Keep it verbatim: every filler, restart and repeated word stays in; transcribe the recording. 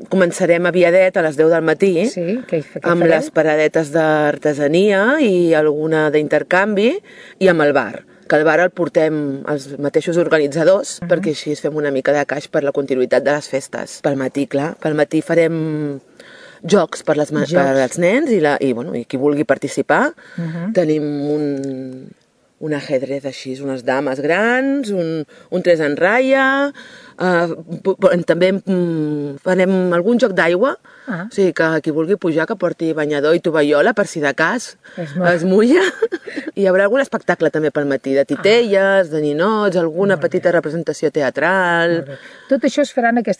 començarem a Viadet a les deu del matí, sí, què, què amb farem? les paradetes d'artesania i alguna d'intercanvi, i amb el bar, que el bar el portem els mateixos organitzadors, uh -huh. perquè així fem una mica de caix per la continuïtat de les festes. Pel matí, clar, pel matí farem jocs per, les, jocs. per als nens i, la, i, bueno, i qui vulgui participar. Uh -huh. Tenim un, un ajedrez així, unes dames grans, un, un tres en ratlla, uh, també um, farem algun joc d'aigua, ah. o sigui que qui vulgui pujar que porti banyador i tovallola per si de cas es, es mulla. I hi haurà algun espectacle també pel matí, de titelles, ah. de ninots, alguna petita representació teatral. Tot això es farà en aquesta